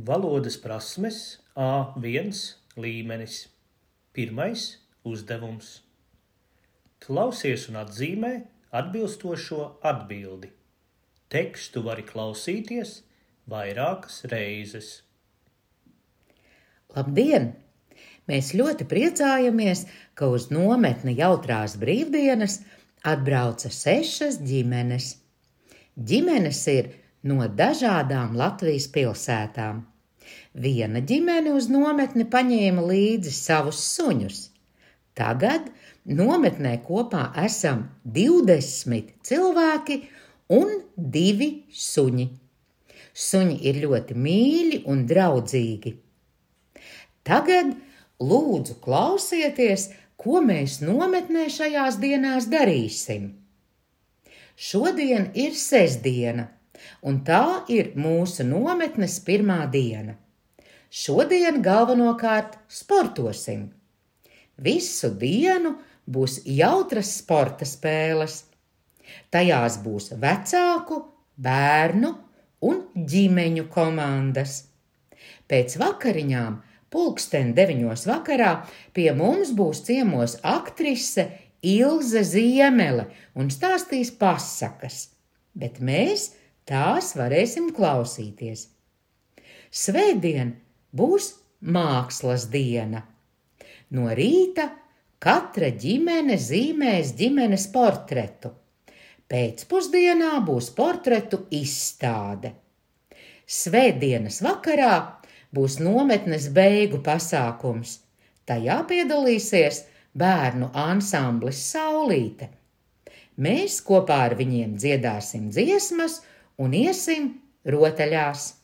Valodas prasmes A1 līmenis. Pirmais uzdevums. Klausies un atzīmē atbilstošo atbildi. Tekstu vari klausīties vairākas reizes. Labdien! Mēs ļoti priecājamies, ka uz nometni Jautrās brīvdienas atbrauca 6 ģimenes. Ģimenes ir no dažādām Latvijas pilsētām. Viena ģimene uz nometni paņēma līdzi savus suņus. Tagad nometnē kopā esam 20 cilvēki un 2 suņi. Suņi ir ļoti mīļi un draudzīgi. Tagad lūdzu klausieties, ko mēs nometnē šajās dienās darīsim. Šodien ir sestdiena, un tā ir mūsu nometnes pirmā diena. Šodien galvenokārt sportosim. Visu dienu būs jautras sporta spēles. Tajās būs vecāku, bērnu un ģimeņu komandas. Pēc vakariņām 9:00 vakarā pie mums būs ciemos aktrise Ilze Ziemele un stāstīs pasakas, bet mēs tās varēsim klausīties. Svētdien būs mākslas diena. No rīta katra ģimene zīmēs ģimenes portretu. Pēcpusdienā būs portretu izstāde. Svētdienas vakarā būs nometnes beigu pasākums. Tajā piedalīsies bērnu ansamblis Saulīte. Mēs kopā ar viņiem dziedāsim dziesmas un iesim rotaļās.